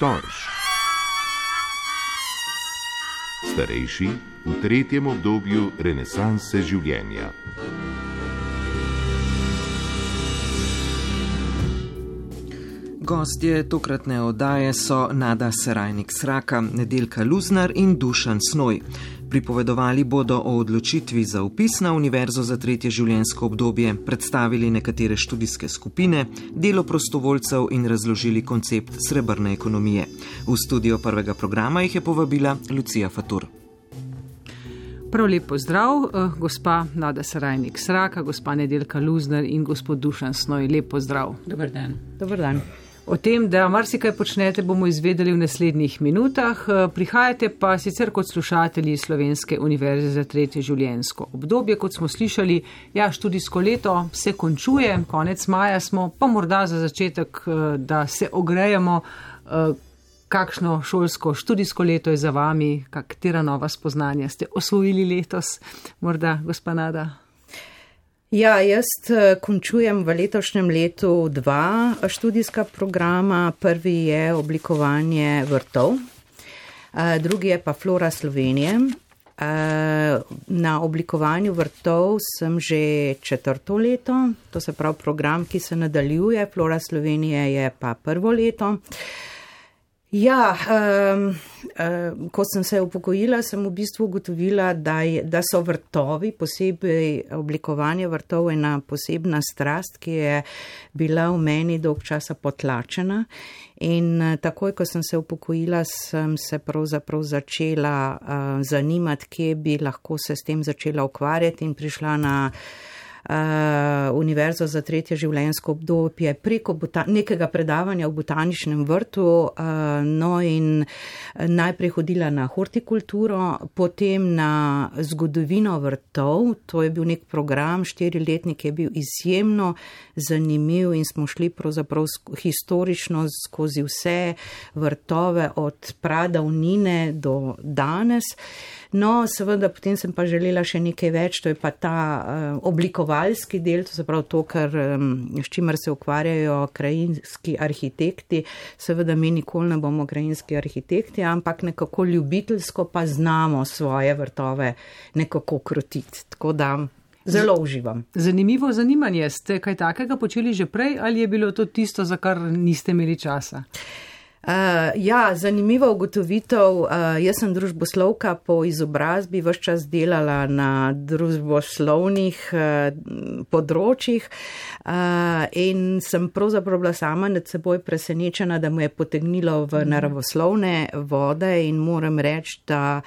Storž. Starejši v tretjem obdobju renesanse življenja. Gostje tokratne oddaje so Nada Serajnik-Sraka, Nedeljka Luznar in Dušan Snoj. Pripovedovali bodo o odločitvi za vpis na Univerzo za tretje življenjsko obdobje, predstavili nekatere študijske skupine, delo prostovoljcev in razložili koncept srebrne ekonomije. V studio prvega programa jih je povabila Lucija Fatur. Prav lep pozdrav, gospa Nada Serajnik-Sraka, gospa Nedeljka Luznar in gospod Dušan Snoj. Lep pozdrav. Dobar dan. Dobar dan. O tem, da marsikaj počnete, bomo izvedeli v naslednjih minutah. Prihajate pa sicer kot slušatelji Slovenske univerze za tretje življenjsko obdobje. Kot smo slišali, študijsko leto se končuje, konec maja smo, pa morda za začetek, da se ogrejemo, kakšno šolsko študijsko leto je za vami, katera nova spoznanja ste osvojili letos, morda gospa Nada. Jaz končujem v letošnjem letu 2 študijska programa. Prvi je oblikovanje vrtov, drugi je pa Flora Slovenije. Na oblikovanju vrtov sem že 4. leto, to se pravi program, ki se nadaljuje, Flora Slovenije je pa 1. leto. Ko sem se upokojila, sem v bistvu ugotovila, da so vrtovi, posebej oblikovanje vrtov, ena posebna strast, ki je bila v meni dolg časa potlačena. In takoj, ko sem se upokojila, sem se pravzaprav začela zanimati, kje bi lahko se s tem začela ukvarjati in prišla na Univerzo za tretje življenjsko obdobje preko nekega predavanja v botaničnem vrtu, in najprej hodila na hortikulturo, potem na zgodovino vrtov. To je bil nek program, 4-letnik, je bil izjemno zanimiv in smo šli pravzaprav historično skozi vse vrtove od pradavnine do danes. No, seveda, potem sem pa želela še nekaj več, to je pa ta oblikovalski del, to se pravi to, s čimer se ukvarjajo krajinski arhitekti. Seveda mi nikoli ne bomo krajinski arhitekti, ampak nekako ljubiteljsko pa znamo svoje vrtove nekako krotiti. Tako da zelo uživam. Zanimivo zanimanje. Ste kaj takega počeli že prej ali je bilo to tisto, za kar niste imeli časa? Zanimiva ugotovitev. Jaz sem družboslovka po izobrazbi, ves čas delala na družboslovnih področjih in sem pravzaprav bila sama nad seboj presenečena, da mu je potegnilo v naravoslovne vode in moram reči, da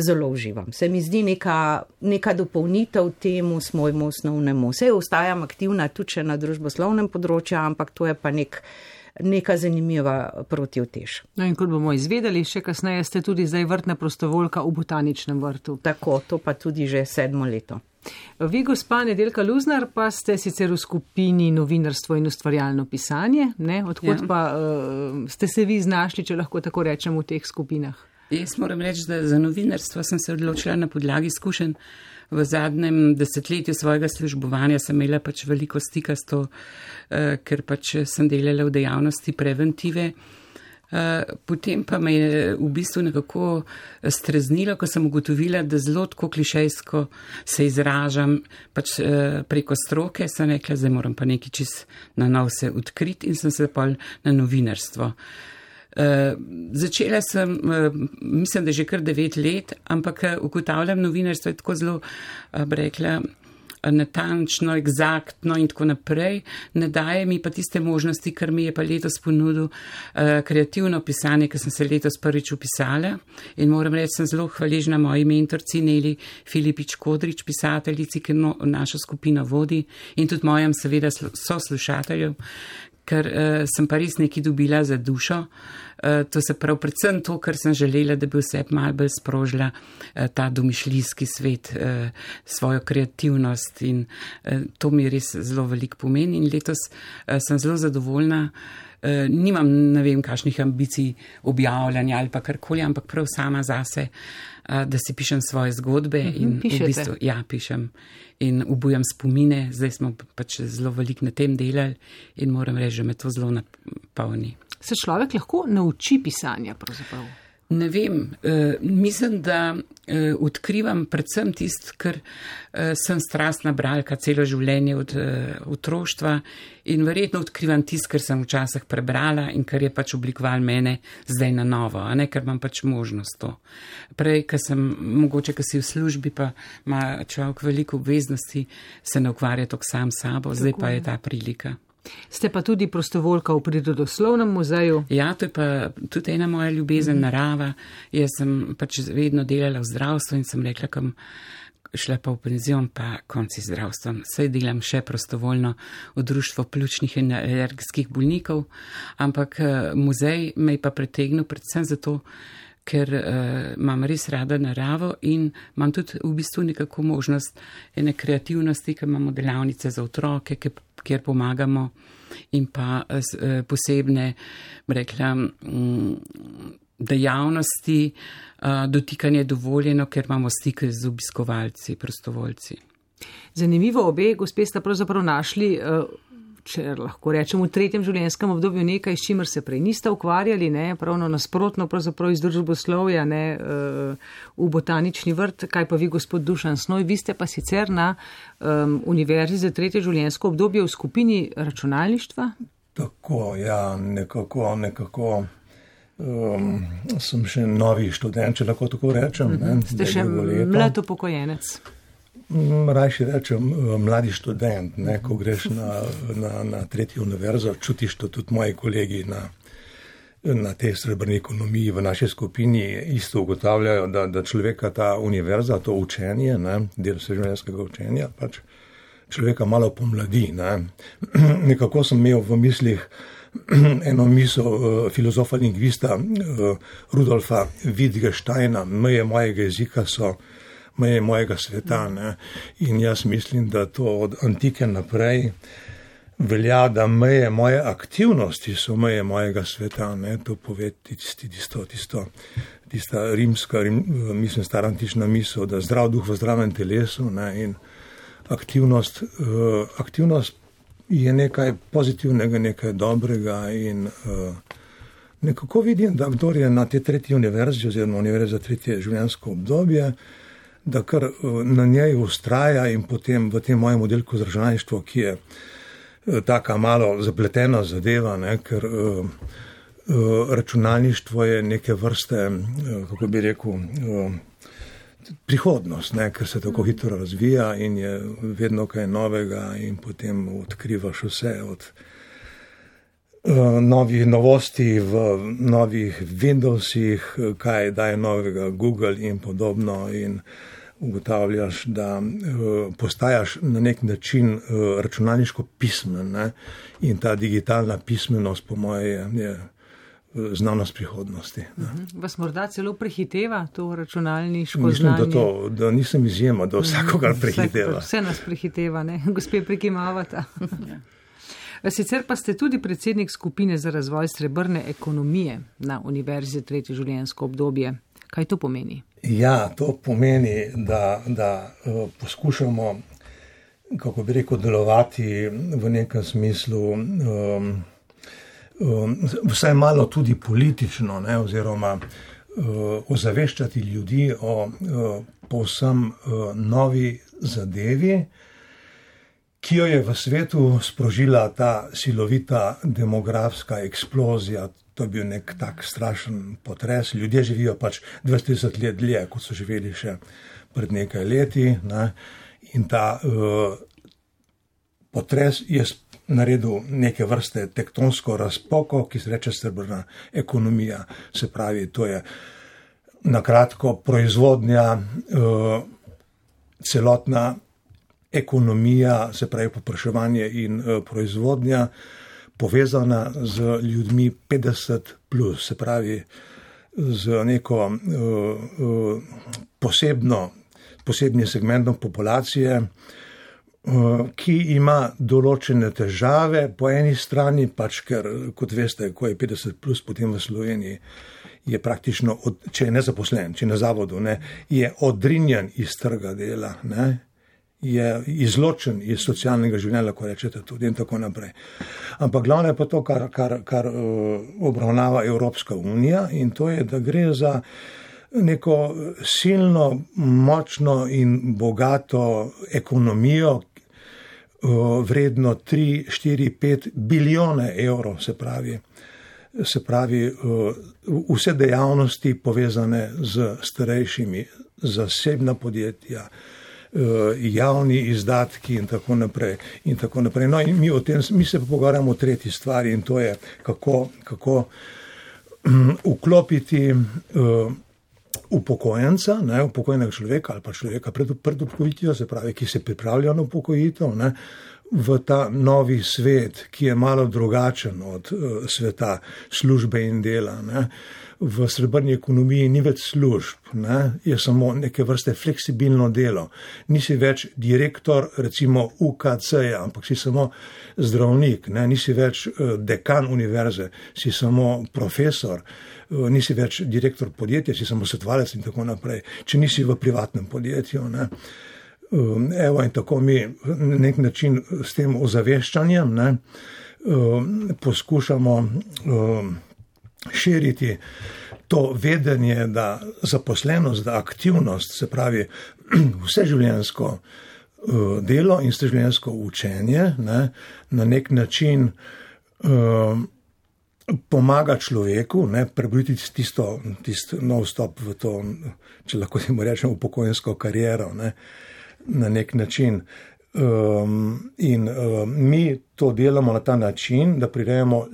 zelo uživam. Se mi zdi neka dopolnitev temu svojemu osnovnemu. Saj ostajam aktivna tudi na družboslovnem področju, ampak to je pa neka zanimiva protivtež. No in kot bomo izvedeli, še kasneje ste tudi zdaj vrtna prostovoljka v botaničnem vrtu. Tako, to pa tudi že 7. leto. Vi, gospa Nedeljka Luznar, pa ste sicer v skupini novinarstvo in ustvarjalno pisanje, ne? Odkot pa ste se vi znašli, če lahko tako rečem, v teh skupinah? Jaz moram reči, da za novinarstvo sem se odločila na podlagi izkušenj. V zadnjem desetletju svojega službovanja sem imela veliko stika s to, ker sem delala v dejavnosti preventive. Potem pa me je v bistvu nekako streznilo, ko sem ugotovila, da zelo tako klišejsko se izražam preko stroke. Sem rekla, zdaj moram pa nekaj čist na nov se odkriti in sem se pol na novinarstvo. Začela sem, mislim, da že kar 9 let, ampak ugotavljam, novinarstvo je tako zelo, rekla, natančno, egzaktno in tako naprej. Ne daje mi pa tiste možnosti, kar mi je pa letos ponudil kreativno pisanje, ker sem se letos prvič upisala in moram reči, sem zelo hvaležna moji mentorci Neli Filipič Kodrič, pisateljici, ki našo skupino vodi in tudi mojim seveda soslušateljem, ker sem pa res nekaj dobila za dušo. To se pravi predvsem to, kar sem želela, da bi vse malo bolj sprožila ta domišljijski svet, svojo kreativnost in to mi res zelo veliko pomeni in letos sem zelo zadovoljna. Nimam ne vem kakšnih ambicij objavljanja ali pa karkoli, ampak prav sama zase, da si pišem svoje zgodbe in pišete. V bistvu, pišem in obujam spomine. Zdaj smo zelo veliko na tem delali in moram reči, da me to zelo napolni. Se človek lahko nauči pisanja pravzaprav? Ne vem, mislim, da odkrivam predvsem tisto, ker sem strastna bralka celo življenje od otroštva in verjetno odkrivam tisto, kar sem včasih prebrala in kar je pač oblikoval mene zdaj na novo, a ne, ker imam pač možnost to. Prej, mogoče, ker si v službi, pa ima človek veliko obveznosti, se ne ukvarja toliko sam sabo, zdaj pa je ta prilika. Ste pa tudi prostovoljka v Prirodoslovnem muzeju? Ja, to je pa tudi ena moja ljubezen, narava. Jaz sem pač vedno delala v zdravstvu in sem rekla, kam šla pa v penzion, pa konci zdravstvom. Saj delam še prostovoljno v društvo pljučnih in alergijskih bolnikov, ampak muzej me je pa pritegnil predvsem zato, ker imam res rada naravo in imam tudi v bistvu nekako možnost ene kreativnosti, ker imamo delavnice za otroke, kjer pomagamo in pa posebne, rekla, dejavnosti, dotikanje dovoljeno, ker imamo stike z obiskovalci, prostovoljci. Zanimivo, obe gospe sta pravzaprav našli, če lahko rečem, v tretjem življenjskem obdobju nekaj, s čimer se prej niste ukvarjali, ne, pravno nasprotno, pravzaprav iz družboslovja, ne, v botanični vrt. Kaj pa vi, gospod Dušan Snoj, vi ste pa sicer na Univerzi za tretje življenjsko obdobje v skupini računalništva? Tako, ja, nekako. Sem še novi študent, če lahko tako rečem. Ste še mlad upokojenec. Rajši rečem mladi študent, ne, ko greš na tretjo univerzo, čutiš to tudi moji kolegi na tej srebrni ekonomiji v naši skupini isto ugotavljajo, da človeka ta univerza, to učenje, ne, del vseživljenjskega učenja, pač človeka malo pomladi. Ne. Nekako sem imel v mislih eno misel filozofa lingvista Rudolfa Wittgensteina, meje mojega jezika so meje mojega sveta. Ne? In jaz mislim, da to od antike naprej velja, da meje moje aktivnosti so meje mojega sveta. Ne? To pove tista rimska, mislim, stara antična misel, da zdrav duh v zdravem telesu, ne? In aktivnost je nekaj pozitivnega, nekaj dobrega in nekako vidim, da kdor je na te tretji univerzi oziroma univerzi za tretje življenjsko obdobje, da kar na njej ustraja in potem v tem mojem oddelku za računalništvo, ki je taka malo zapletena zadeva, ne, ker računalništvo je neke vrste, kako bi rekel, prihodnost, ne, ker se tako hitro razvija in je vedno kaj novega in potem odkrivaš vse od novih novosti v novih Windowsih, kaj daje novega Google in podobno in ugotavljaš, da postajaš na nek način računalniško pismen, ne? In ta digitalna pismenost po moje je znanost prihodnosti. Vas morda celo prehiteva to računalniško znanje? Mislim, da nisem izjema, da vsakogar prehiteva. Vse nas prehiteva, ne? Gospe prikimavata. Sicer pa ste tudi predsednik skupine za razvoj srebrne ekonomije na Univerzi za tretje življenjsko obdobje. Kaj to pomeni? Ja, to pomeni, da poskušamo, kako bi rekel, delovati v nekem smislu vsaj malo tudi politično, ne, oziroma ozaveščati ljudi o povsem novi zadevi, ki jo je v svetu sprožila ta silovita demografska eksplozija. To je bil nek tak strašen potres. Ljudje živijo pač 20 let dlje, kot so živeli še pred nekaj leti. Ne? In ta potres je naredil neke vrste tektonsko razpoko, ki se reče srebrna ekonomija. Se pravi, to je na kratko proizvodnja, celotna ekonomija, se pravi popraševanje in proizvodnja, povezana z ljudmi 50 plus, se pravi z neko posebnim segmentom populacije, ki ima določene težave. Po eni strani pač, ker, kot veste, ko je 50 plus, potem v Sloveniji je praktično, če je nezaposlen, če je na zavodu, ne, je odrinjen iz trga dela, ne, je izločen iz socialnega življenja, lahko rečete tudi in tako naprej. Ampak glavno je pa to, kar obravnava Evropska unija in to je, da gre za neko silno, močno in bogato ekonomijo, vredno 3, 4, 5 bilijone evrov, se pravi vse dejavnosti povezane z starejšimi, zasebna podjetja, javni izdatki in tako naprej. No in mi se pogovarjamo o tretji stvari in to je, kako vklopiti upokojenca, upokojenega človeka ali pa človeka pred upokojitvijo, se pravi, ki se pripravlja na upokojitev, v ta novi svet, ki je malo drugačen od sveta službe in dela. V srebrni ekonomiji ni več služb, je samo neke vrste fleksibilno delo. Nisi več direktor, recimo UKC-ja, ampak si samo zdravnik, nisi več dekan univerze, si samo profesor, nisi več direktor podjetja, si samo svetovalec in tako naprej, če nisi v privatnem podjetju. Evo in tako mi na nek način s tem ozaveščanjem poskušamo širiti to vedenje, da zaposlenost, da aktivnost, se pravi vseživljenjsko delo in vseživljenjsko učenje na nek način pomaga človeku prebuditi tisto nov vstop v to, če lahko temu rečemo, upokojensko kariero, na nek način. Mi to delamo na ta način, da prirejamo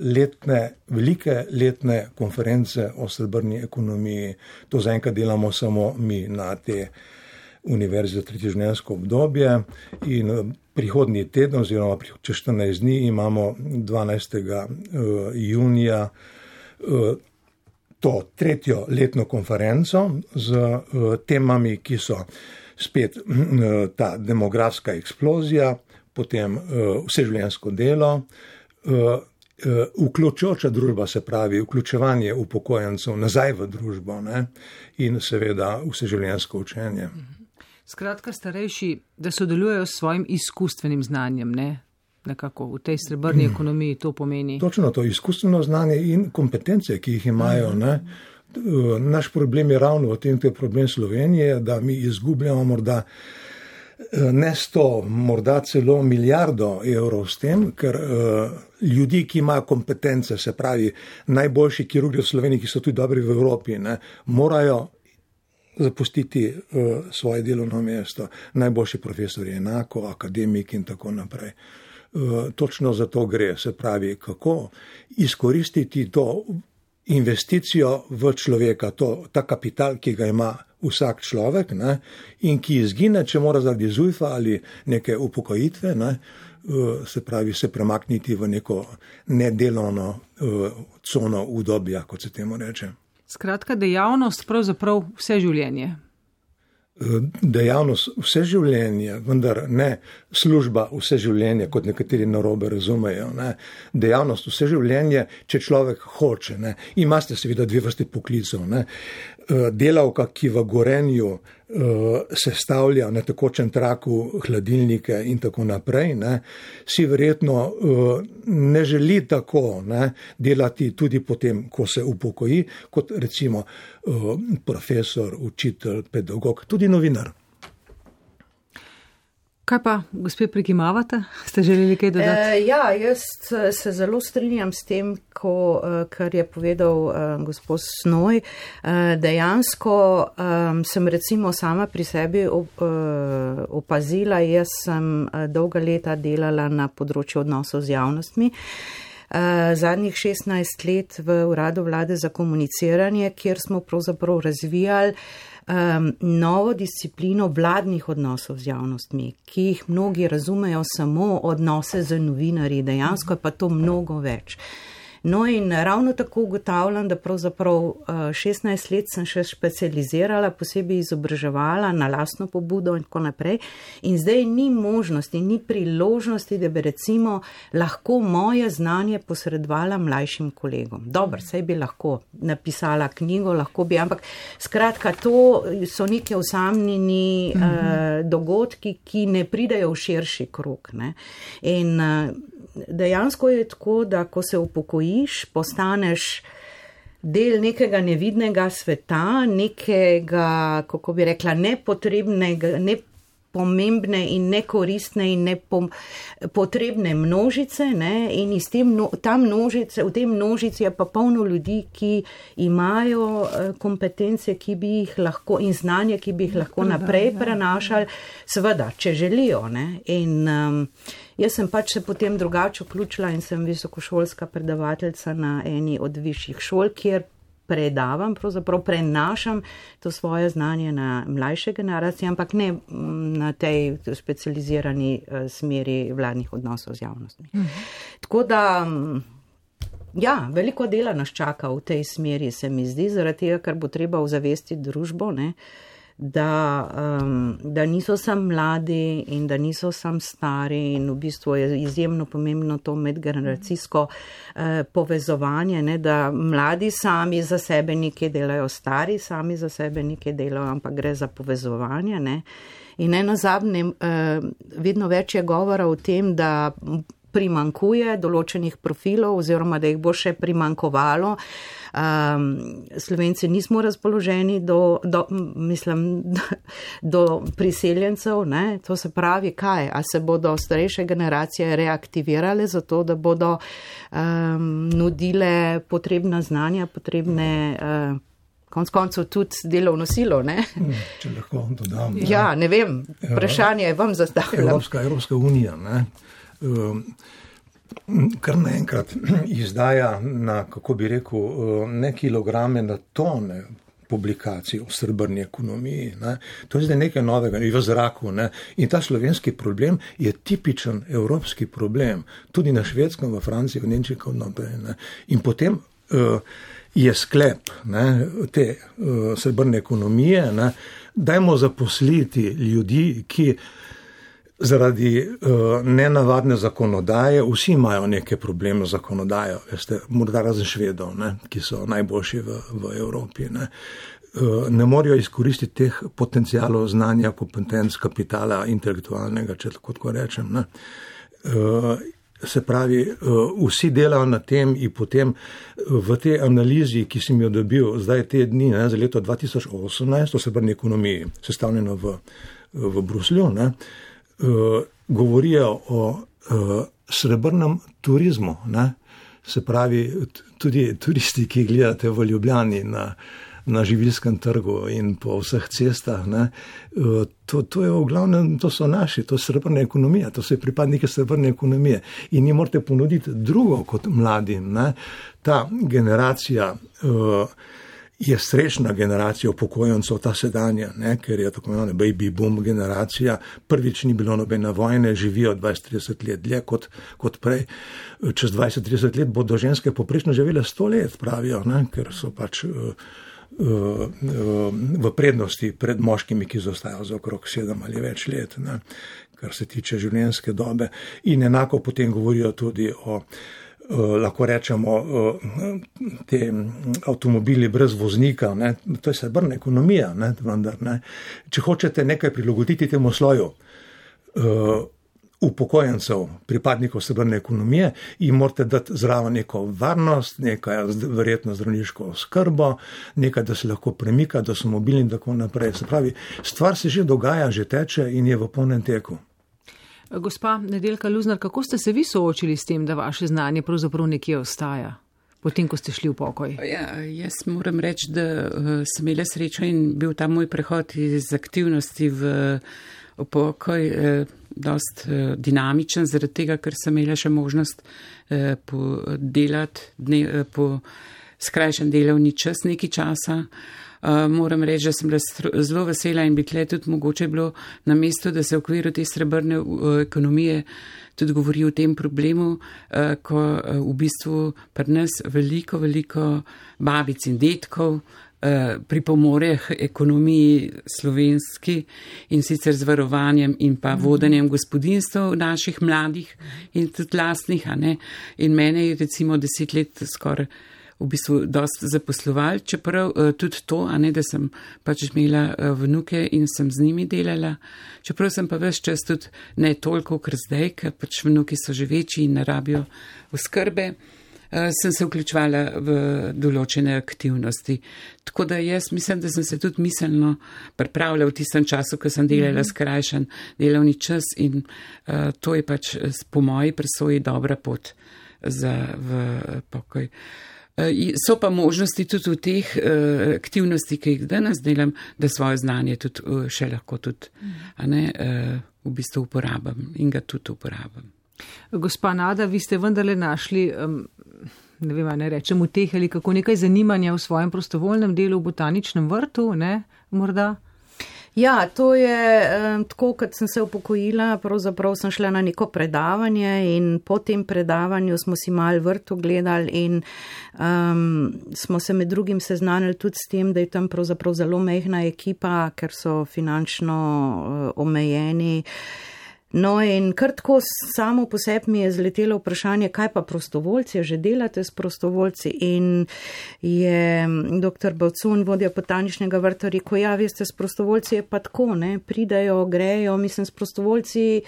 velike letne konference o srebrni ekonomiji. To zaenkrat delamo samo mi na te univerzi za tretje življenjsko obdobje in prihodnji teden oziroma čez 14 dni imamo 12. junija to tretjo letno konferenco z temami, ki so spet ta demografska eksplozija, potem vseživljenjsko delo, vključujoča družba, se pravi vključevanje upokojencev nazaj v družbo in seveda vseživljenjsko učenje. Skratka, starejši, da sodelujejo s svojim izkustvenim znanjem, nekako v tej srebrni ekonomiji to pomeni. Točno to, izkustveno znanje in kompetence, ki jih imajo, Naš problem je ravno v tem, to je problem Slovenije, da mi izgubljamo morda ne 100, morda celo milijardo evrov s tem, ker ljudi, ki imajo kompetence, se pravi najboljši kirurgi v Sloveniji, ki so tudi dobri v Evropi, morajo zapustiti svoje delovno mesto. Najboljši profesori enako, akademiki in tako naprej. Točno za to gre, se pravi, kako izkoristiti to investicijo v človeka, ta kapital, ki ga ima vsak človek in ki izgine, če mora zaradi zujfa ali neke upokojitve, se pravi, se premakniti v neko nedelovno cono udobja, kot se temu reče. Skratka, dejavnost pravzaprav vse življenje. Dejavnost vse življenje, vendar ne služba vse življenje, kot nekateri narobe razumejo. Dejavnost vse življenje, če človek hoče. Imate seveda dve vrste poklicov. Delavka, ki v Gorenju sestavlja na tekočem traku hladilnike in tako naprej, si verjetno ne želi tako delati tudi potem, ko se upokoji, kot recimo profesor, učitelj, pedagog, tudi novinar. Kaj pa, gospe, prikimavate? Ste želeli kaj dodati? Ja, jaz se zelo strinjam s tem, kar je povedal gospod Snoj. Dejansko sem recimo sama pri sebi opazila, jaz sem dolga leta delala na področju odnosov z javnostmi. Zadnjih 16 let v Uradu vlade za komuniciranje, kjer smo pravzaprav razvijali novo disciplino vladnih odnosov z javnostmi, ki jih mnogi razumejo samo odnose z novinarji, dejansko je pa to mnogo več. No in ravno tako ugotavljam, da pravzaprav 16 let sem še specializirala, posebej izobraževala na lastno pobudo in tako naprej. In zdaj ni možnosti, ni priložnosti, da bi recimo lahko moje znanje posredovala mlajšim kolegom. Dobro, saj bi lahko napisala knjigo, lahko bi, ampak skratka, to so neke osamljeni dogodki, ki ne pridejo v širši krog. Ne? In dejansko je tako, da ko se upokojiš, postaneš del nekega nevidnega sveta, nekega, kako bi rekla, nepotrebnega, pomembne in nekoristne in nepotrebne množice, ne? In iz v tem množici je pa polno ljudi, ki imajo kompetence, ki bi jih lahko in znanje, ki bi jih lahko naprej prenašali, seveda, če želijo. Ne? In jaz sem pač se potem drugače vključila in sem visokošolska predavateljica na eni od višjih šol, kjer predavam, pravzaprav prenašam to svoje znanje na mlajše generacije, ampak ne na tej specializirani smeri vladnih odnosov z javnostmi. Tako da, ja, veliko dela nas čaka v tej smeri, se mi zdi, zaradi tega, ker bo treba ozavestiti družbo, ne, da niso sam mladi in da niso sam stari in v bistvu je izjemno pomembno to medgeneracijsko povezovanje, ne, da mladi sami za sebe nekaj delajo, stari sami za sebe nekaj delajo, ampak gre za povezovanje. Ne. In nazadnje, vedno več je govora o tem, da primankuje določenih profilov oziroma da jih bo še primankovalo. Slovenci nismo razpoloženi do priseljencev, ne? To se pravi, kaj? A se bodo starejše generacije reaktivirale za to, da bodo nudile potrebna znanja, potrebne konec koncev tudi delovno silo, ne? Če lahko dodam. Ja, ne vem, vprašanje je vam zastavljeno. Evropska unija, ne? Kar naenkrat izdaja na, kako bi rekel, ne kilograme, na tone publikacij o srebrni ekonomiji. Ne. To je zdaj nekaj novega v zraku. Ne. In ta slovenski problem je tipičen evropski problem. Tudi na Švedskem, v Franciji, v Nemčiji, kot naprej. Ne. In potem je sklep, ne, te srebrne ekonomije, ne, dajmo zaposliti ljudi, ki zaradi nenavadne zakonodaje, vsi imajo neke probleme z zakonodajo, veste, morda razen Švedov, ne, ki so najboljši v Evropi. Ne. Ne morajo izkoristiti teh potencialov znanja, kompetenc, kapitala, intelektualnega, če tako rečem. Ne. Se pravi, vsi delajo na tem in potem v tej analizi, ki sem jo dobil zdaj te dni, ne, za leto 2018, o srebrni ekonomiji, sestavljeno v Bruslju, ne, govorijo o srebrnem turizmu. Ne? Se pravi, tudi turisti, ki gledate v Ljubljani na živilskem trgu in po vseh cestah, ne? To je v glavnem, to so naši, to je srebrna ekonomija, to so pripadniki srebrne ekonomije in njim morate ponuditi drugo kot mladim. Ne? Ta generacija je srečna generacija upokojencev, ta sedanja, ne, ker je tako imenovana baby boom generacija, prvič ni bilo nobene vojne, živijo 20-30 let dlje kot prej. Čez 20-30 let bodo ženske poprečno živele 100 let, pravijo, ne, ker so pač v prednosti pred moškimi, ki zostajajo za okrog 7 ali več let, ne, kar se tiče življenjske dobe. In enako potem govorijo tudi o lahko rečemo, te avtomobili brez voznika, ne? To je srebrna ekonomija, ne? Vendar, ne? Če hočete nekaj prilagoditi temu sloju upokojencev, pripadnikov srebrne ekonomije, jim morate dati zraven neko varnost, nekaj verjetno zdravniško oskrbo, nekaj, da se lahko premika, da so mobilni in tako naprej. Se pravi, stvar se že dogaja, že teče in je v polnem teku. Gospa Nedeljka Luznar, kako ste se vi soočili s tem, da vaše znanje pravzaprav nekje ostaja, potem, ko ste šli v pokoj? Ja, jaz moram reči, da sem imela srečo in bil ta moj prehod iz aktivnosti v pokoj dost dinamičen, zaradi tega, ker sem imela še možnost delati po skrajšen delovni čas nekaj časa. Moram reči, da sem bila zelo vesela in bi tle tudi mogoče bilo na mestu, da se v okviru te srebrne ekonomije tudi govori o tem problemu, ko v bistvu pri nas veliko babic in detkov pripomore k ekonomiji slovenski in sicer z varovanjem in pa vodenjem gospodinstv naših mladih in tudi lastnih, a ne. In mene je recimo 10 let skoraj v bistvu dosti zaposlovali, čeprav tudi to, a ne, da sem pač imela vnuke in sem z njimi delala, čeprav sem pa ves čas tudi ne toliko, ker zdaj, ker pač vnuki so že večji in ne rabijo oskrbe, sem se vključevala v določene aktivnosti. Tako da jaz mislim, da sem se tudi miselno pripravila v tistem času, ko sem delala skrajšan delovni čas in to je pač po moji presoji dobra pot v pokoj. So pa možnosti tudi v teh aktivnosti, ki jih danes delam, da svoje znanje tudi še lahko tudi v bistvu uporabam in ga tudi uporabam. Gospa Nada, vi ste vendarle našli, ne vem, ne rečem v teh ali kako nekaj zanimanja v svojem prostovoljnem delu v botaničnem vrtu, ne, morda? Ja, to je tako, kot sem se upokojila, pravzaprav sem šla na neko predavanje in po tem predavanju smo si malo vrt ogledali in smo se med drugim seznanili tudi s tem, da je tam pravzaprav zelo majhna ekipa, ker so finančno omejeni. No in kar tako samo po sebi mi je zletelo vprašanje, kaj pa prostovoljci, že delate s prostovoljci in je dr. Bavcun, vodja botaničnega vrta, rekel, ja, veste, s prostovoljci je pa tako, ne, pridajo, grejo, mislim, s prostovoljci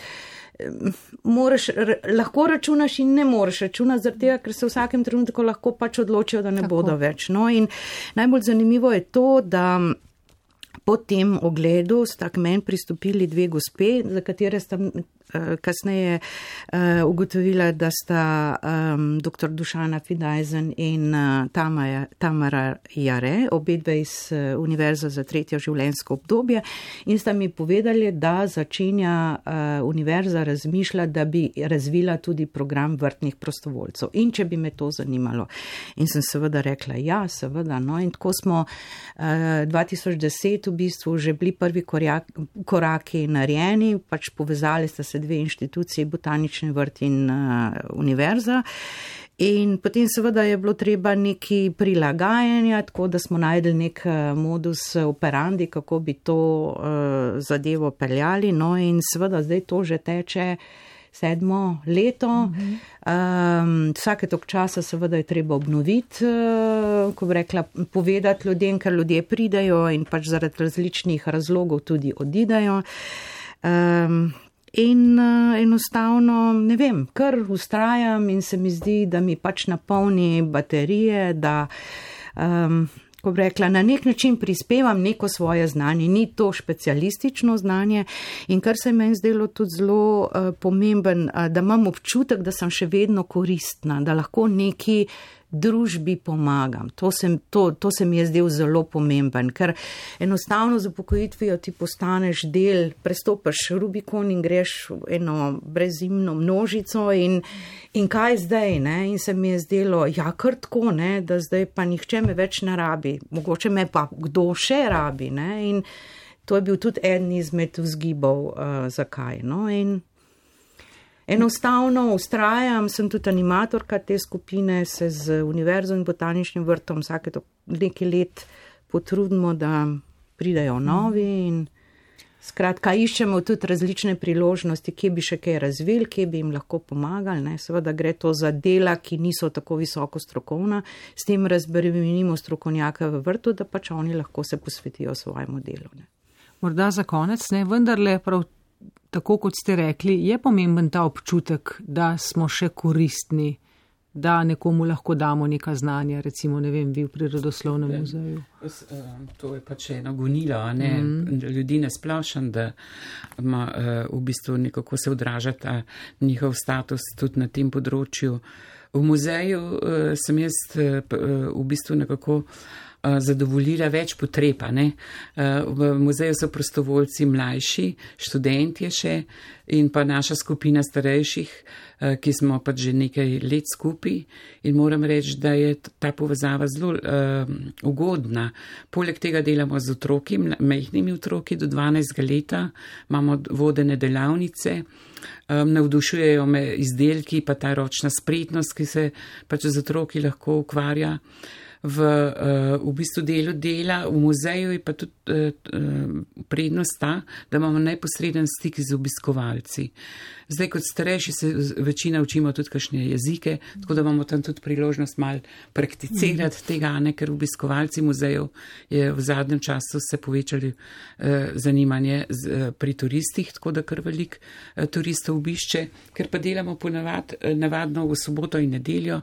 lahko računaš in ne moreš računati, zaradi tega, ker se v vsakem trenutku lahko pač odločijo, da ne tako bodo več. No in najbolj zanimivo je to, da po tem ogledu sta k meni pristopili dve gospe, za katere sta kasneje ugotovila, da sta dr. Dušana Fidajzen in Tamara Jare, obedve iz Univerze za tretje življenjsko obdobje, in sta mi povedali, da začenja univerza razmišljati, da bi razvila tudi program vrtnih prostovoljcev in če bi me to zanimalo. In sem seveda rekla, ja, seveda, no, in tako smo 2010 v bistvu že bili prvi koraki narejeni, pač povezali sta se dve inštitucije, botanični vrt in univerza. In potem seveda je bilo treba neki prilagajanja, tako da smo najdeli nek modus operandi, kako bi to zadevo peljali. No in seveda zdaj to že teče 7. leto. Vsake tok časa seveda je treba obnoviti, ko bi rekla, povedati ljudem, ker ljudje pridejo in pač zaradi različnih razlogov tudi odidejo. In enostavno, ne vem, kar ustrajam in se mi zdi, da mi pač napolni baterije, da, ko bi rekla, na nek način prispevam neko svoje znanje, ni to specialistično znanje in kar se meni zdelo tudi zelo pomemben, da imam občutek, da sem še vedno koristna, da lahko neki družbi pomagam. To se mi je zdel zelo pomemben, ker enostavno z upokojitvijo ti postaneš del, prestopaš Rubikon in greš v eno brezimno množico in kaj zdaj, ne? In se mi je zdelo, ja, kar tako, ne, da zdaj pa nihče me več ne rabi, mogoče me pa kdo še rabi, ne? In to je bil tudi eden izmed vzgibov, zakaj, no, in enostavno ustrajam, sem tudi animatorka te skupine, se z univerzo in botaničnim vrtom vsake nekaj let potrudimo, da pridajo novi in skratka iščemo tudi različne priložnosti, kje bi še kaj razvili, kje bi jim lahko pomagali, ne. Seveda gre to za dela, ki niso tako visoko strokovna, s tem razbremenimo strokovnjake v vrtu, da pač oni lahko se posvetijo svojemu delu, ne. Morda za konec, ne, vendarle prav tako, kot ste rekli, je pomemben ta občutek, da smo še koristni, da nekomu lahko damo neka znanja, recimo, ne vem, vi v Prirodoslovnem muzeju. To je pač eno gonilo, ne, ljudi ne splošen, da ima v bistvu nekako se odražata njihov status tudi na tem področju. V muzeju sem jaz v bistvu nekako zadovoljila več potreb. V muzeju so prostovoljci mlajši, študentje še in pa naša skupina starejših, ki smo pač že nekaj let skupaj in moram reči, da je ta povezava zelo ugodna. Poleg tega delamo z otroki, majhnimi otroki do 12 leta, imamo vodene delavnice, navdušujejo me izdelki, pa ta ročna spretnost, ki se pač z otroki lahko ukvarja. V bistvu dela v muzeju je pa tudi prednost ta, da imamo neposreden stik z obiskovalci. Zdaj kot starejši se večina učimo tudi kakšne jezike, tako da imamo tam tudi priložnost malo prakticirati tega, ker obiskovalci muzejev je v zadnjem času se povečali zanimanje pri turistih, tako da kar veliko turistov obišče, ker pa delamo navadno v soboto in nedeljo,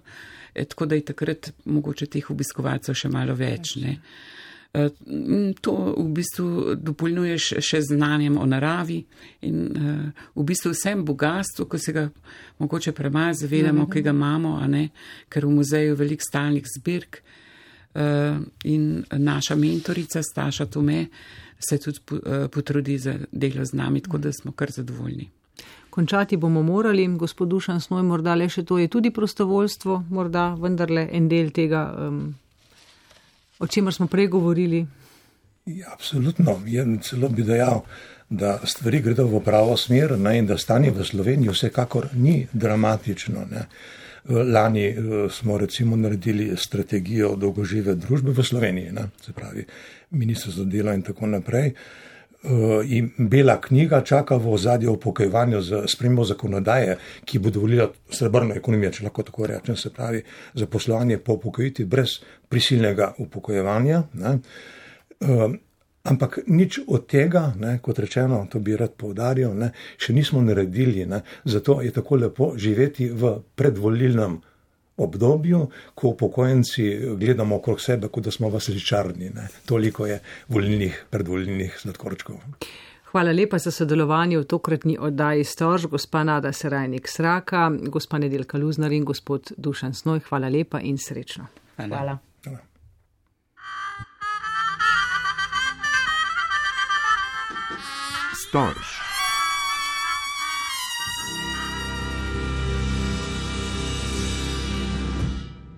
tako da je takrat mogoče teh obiskovalcev še malo več. To v bistvu dopolnjuješ še znanjem o naravi in v bistvu vsem bogatstvu, ko se ga mogoče premalo zavedamo, ki ga imamo, ker v muzeju je veliko stalnih zbirk in naša mentorica Staša Tome se tudi potrudi za delo z nami, tako da smo kar zadovoljni. Končati bomo morali, gospod Dušan Snoj, morda le še to je tudi prostovoljstvo, morda vendarle en del tega, o čemer smo prej govorili. Ja, absolutno. Celo bi dejal, da stvari gredo v pravo smer in da stanje v Sloveniji vsekakor ni dramatično. Lani smo recimo naredili strategijo dolgožive družbe v Sloveniji, se pravi ministrstvo za delo in tako naprej. In bela knjiga čaka v ozadju upokojevanja z spremembo zakonodaje, ki bo dovolila srebrno ekonomijo, če lahko tako rečem, se pravi zaposlovanje po upokojitvi brez prisilnega upokojevanja. Ampak nič od tega, kot rečeno, to bi rad poudaril, še nismo naredili. Zato je tako lepo živeti v predvolilnem obdobju, ko upokojenci gledamo okrog sebe, kot da smo v sličarni. Toliko je predvolilnih sladkorčkov. Hvala lepa za sodelovanje v tokratni oddaji Storž, gospa Nada Serajnik Sraka, gospa Nedeljka Luznar in gospod Dušan Snoj. Hvala lepa in srečno. Hvala. Storž.